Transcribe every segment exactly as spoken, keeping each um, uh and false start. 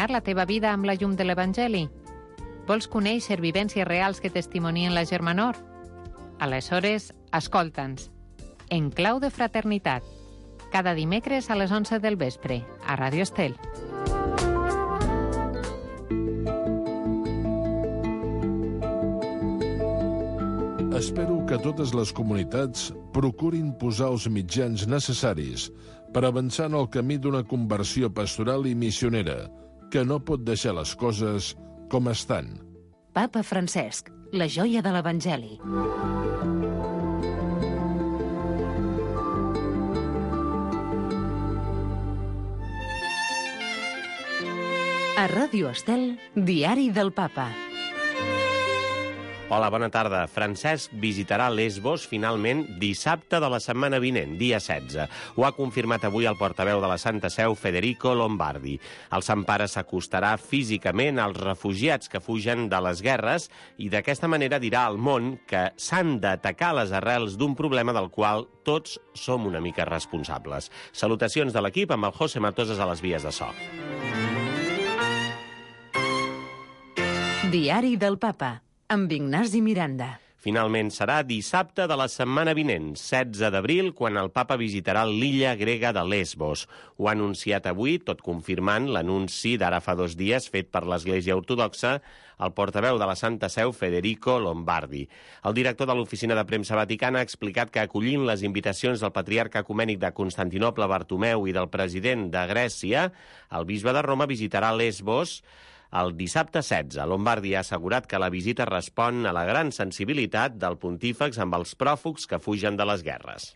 il·luminar la teva vida amb la llum de l'Evangeli? Vols conèixer vivències reals que testimonien la germanor? Aleshores, escolta'ns. En clau de fraternitat. Cada dimecres a les onze del vespre, a Ràdio Estel. Espero que totes les comunitats procurin posar els mitjans necessaris per avançar en el camí d'una conversió pastoral i missionera, que no pot deixar les coses com estan. Papa Francesc, la joia de l'Evangeli. A Ràdio Estel, Diari del Papa. Hola, bona tarda. Francesc visitarà Lesbos finalment dissabte de la setmana vinent, dia setze. Ho ha confirmat avui el portaveu de la Santa Seu, Federico Lombardi. El Sant Pare s'acostarà físicament als refugiats que fugen de les guerres i d'aquesta manera dirà al món que s'han d'atacar les arrels d'un problema del qual tots som una mica responsables. Salutacions de l'equip amb el José Matoses a les vies de so. Diari del Papa, amb Ignasi Miranda. Finalment serà dissabte de la setmana vinent, setze d'abril, quan el papa visitarà l'illa grega de Lesbos. Ho ha anunciat avui, tot confirmant l'anunci d'ara fa dos dies fet per l'Església Ortodoxa, el portaveu de la Santa Seu, Federico Lombardi. El director de l'Oficina de Premsa Vaticana ha explicat que acollint les invitacions del patriarca ecumènic de Constantinoble, Bartomeu, i del president de Grècia, el bisbe de Roma visitarà Lesbos el dissabte setze. Lombardi ha assegurat que la visita respon a la gran sensibilitat del pontífex amb els pròfugs que fugen de les guerres.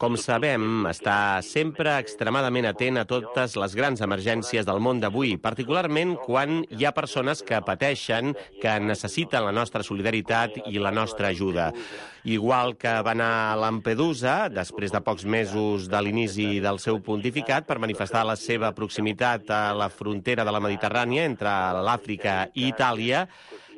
Com sabem, està sempre extremadament atent a totes les grans emergències del món d'avui, particularment quan hi ha persones que pateixen, que necessiten la nostra solidaritat i la nostra ajuda. Igual que va anar a Lampedusa, després de pocs mesos de l'inici del seu pontificat, per manifestar la seva proximitat a la frontera de la Mediterrània entre l'Àfrica i Itàlia.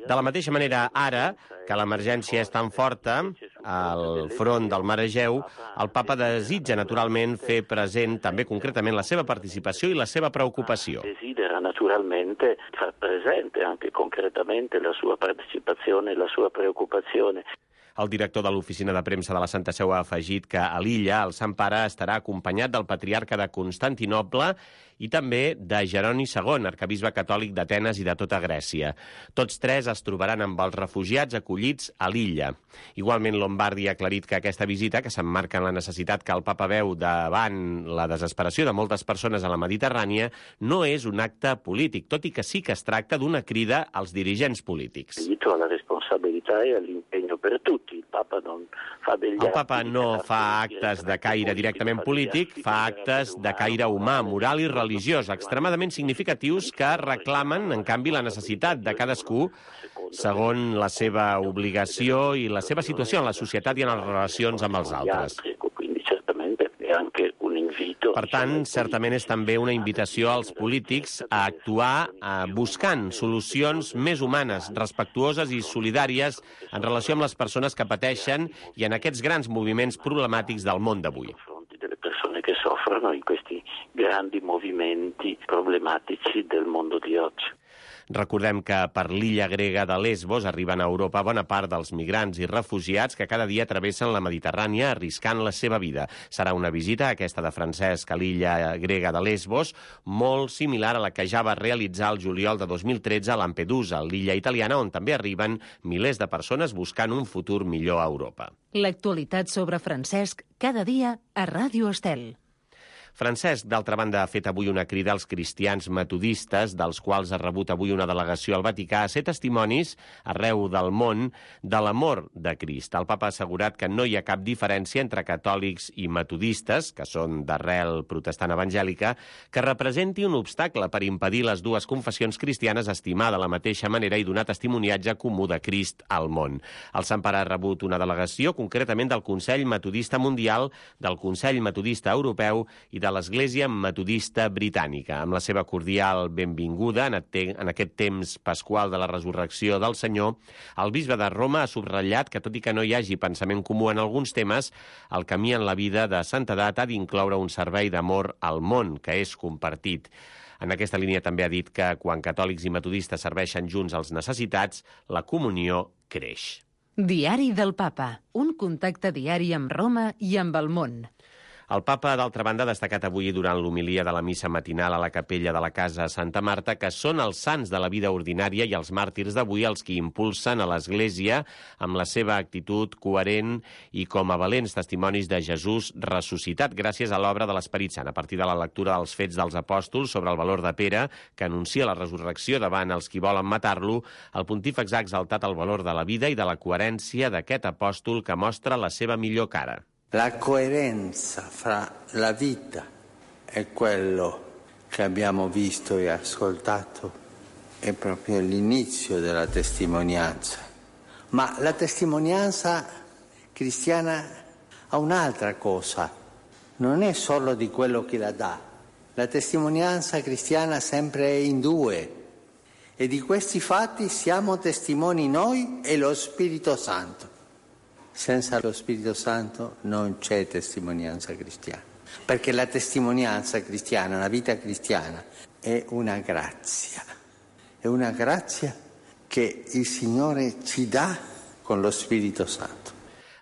De la mateixa manera, ara, que l'emergència és tan forta al front del Mar Egeu, el papa desitja naturalment fer present també concretament la seva participació i la seva preocupació. Desidera naturalmente far presente anche concretamente la sua partecipazione e la sua preoccupazione. El director de l'Oficina de Premsa de la Santa Seu ha afegit que a l'illa el Sant Pare estarà acompanyat del patriarca de Constantinoble i també de Jeroni segon, arquebisbe catòlic d'Atenes i de tota Grècia. Tots tres es trobaran amb els refugiats acollits a l'illa. Igualment, Lombardi ha aclarit que aquesta visita, que s'emmarca en la necessitat que el papa veu davant la desesperació de moltes persones a la Mediterrània, no és un acte polític, tot i que sí que es tracta d'una crida als dirigents polítics. La responsabilitat e l'impegno per tutti. El papa non fa degli El papa no fa actes de caire directament polític, fa actes de caire humà, moral i religiós, extremadament significatius que reclamen, en canvi, la necessitat de cadascú segons la seva obligació i la seva situació en la societat i en les relacions amb els altres. Per tant, certament és també una invitació als polítics a actuar eh, buscant solucions més humanes, respectuoses i solidàries en relació amb les persones que pateixen i en aquests grans moviments problemàtics del món d'avui. Delle persone che soffrono in questi grandi movimenti problematici del mondo di oggi. Recordem que per l'illa grega de Lesbos arriben a Europa bona part dels migrants i refugiats que cada dia travessen la Mediterrània arriscant la seva vida. Serà una visita, aquesta de Francesc, a l'illa grega de Lesbos, molt similar a la que ja va realitzar el juliol de dos mil tretze a Lampedusa, l'illa italiana, on també arriben milers de persones buscant un futur millor a Europa. L'actualitat sobre Francesc cada dia a Ràdio Estel. Francesc, d'altra banda, ha fet avui una crida als cristians metodistes, dels quals ha rebut avui una delegació al Vaticà, a ser testimonis arreu del món de l'amor de Crist. El papa ha assegurat que no hi ha cap diferència entre catòlics i metodistes, que són d'arrel protestant evangèlica, que representi un obstacle per impedir les dues confessions cristianes estimar de la mateixa manera i donar testimoniatge comú de Crist al món. El Sant Pare ha rebut una delegació, concretament del Consell Metodista Mundial, del Consell Metodista Europeu i de l'Església Metodista Britànica. Amb la seva cordial benvinguda en aquest temps pasqual de la resurrecció del Senyor, el bisbe de Roma ha subratllat que, tot i que no hi hagi pensament comú en alguns temes, el camí en la vida de santedat ha d'incloure un servei d'amor al món, que és compartit. En aquesta línia també ha dit que quan catòlics i metodistes serveixen junts als necessitats, la comunió creix. Diari del Papa, un contacte diari amb Roma i amb el món. El papa, d'altra banda, ha destacat avui durant l'homilia de la missa matinal a la capella de la Casa Santa Marta que són els sants de la vida ordinària i els màrtirs d'avui els que impulsen a l'Església amb la seva actitud coherent i com a valents testimonis de Jesús ressuscitat gràcies a l'obra de l'Esperit Sant, a partir de la lectura dels Fets dels Apòstols sobre el valor de Pere, que anuncia la resurrecció davant els qui volen matar-lo. El pontífex ha exaltat el valor de la vida i de la coherència d'aquest apòstol que mostra la seva millor cara. La coerenza fra la vita e quello che abbiamo visto e ascoltato è proprio l'inizio della testimonianza. Ma la testimonianza cristiana ha un'altra cosa, non è solo di quello che la dà. La testimonianza cristiana sempre è in due e di questi fatti siamo testimoni noi e lo Spirito Santo. Senza lo Spirito Santo non c'è testimonianza cristiana, perché la testimonianza cristiana, la vita cristiana, è una grazia, è una grazia che il Signore ci dà con lo Spirito Santo.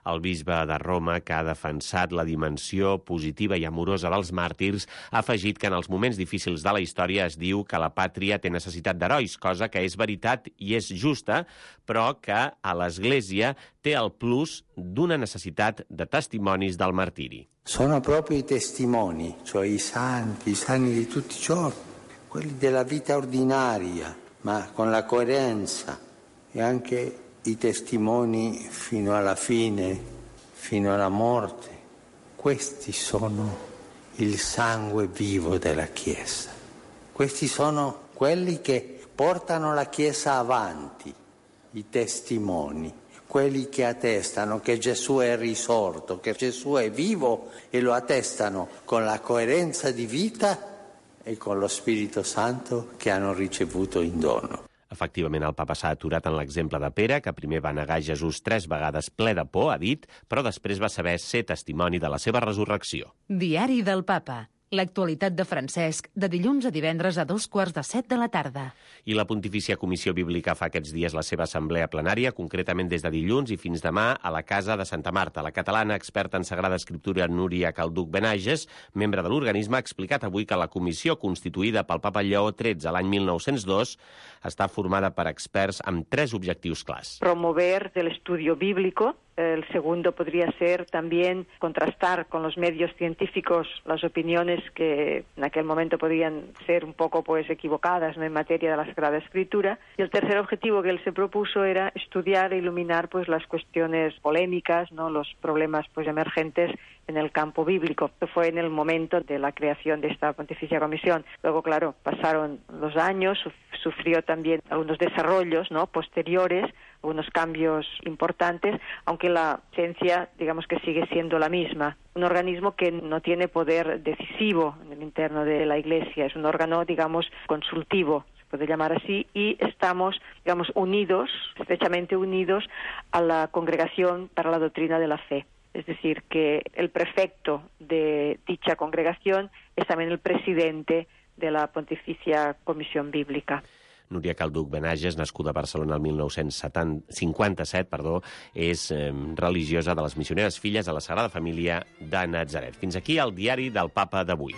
El bisbe de Roma, que ha defensat la dimensió positiva i amorosa dels màrtirs, ha afegit que en els moments difícils de la història es diu que la pàtria té necessitat d'herois, cosa que és veritat i és justa, però que a l'Església té el plus d'una necessitat de testimonis del martiri. Sono proprio i testimoni, cioè i santi, i santi di tutti i giorni, quelli della vita ordinaria, ma con la coerenza e anche i testimoni fino alla fine, fino alla morte. Questi sono il sangue vivo della Chiesa. Questi sono quelli che portano la Chiesa avanti, i testimoni, quelli che attestano che Gesù è risorto, che Gesù è vivo e lo attestano con la coerenza di vita e con lo Spirito Santo che hanno ricevuto in dono. Efectivament, el papa s'ha aturat en l'exemple de Pere, que primer va negar Jesús tres vegades ple de por, ha dit, però després va saber ser testimoni de la seva resurrecció. Diari del Papa. L'actualitat de Francesc, de dilluns a divendres a dos quarts de set de la tarda. I la Pontifícia Comissió Bíblica fa aquests dies la seva assemblea plenària, concretament des de dilluns i fins demà a la Casa de Santa Marta. La catalana experta en Sagrada Escriptura Núria Calduc Benages, membre de l'organisme, ha explicat avui que la comissió constituïda pel papa Lleó tretze a l'any mil nou-cents dos està formada per experts amb tres objectius clars. Promover el estudio bíblico. El segundo podría ser también contrastar con los medios científicos las opiniones que en aquel momento podían ser un poco pues equivocadas, ¿no?, en materia de la Sagrada Escritura. Y el tercer objetivo que él se propuso era estudiar e iluminar pues las cuestiones polémicas, ¿no?, los problemas pues emergentes en el campo bíblico. Esto fue en el momento de la creación de esta Pontificia Comisión. Luego, claro, pasaron los años, sufrió también algunos desarrollos, ¿no?, posteriores, algunos cambios importantes, aunque la esencia, digamos que sigue siendo la misma. Un organismo que no tiene poder decisivo en el interno de la Iglesia, es un órgano, digamos, consultivo, se puede llamar así, y estamos, digamos, unidos, estrechamente unidos a la Congregación para la Doctrina de la Fe. Es decir, que el prefecto de dicha congregación es también el presidente de la Pontificia Comisión Bíblica. Núria Calduc Benages, nascuda a Barcelona el mil nou-cents cinquanta-set, perdó, és eh, religiosa de les Missioneres Filles de la Sagrada Família de Natzaret. Fins aquí el diari del Papa d'avui.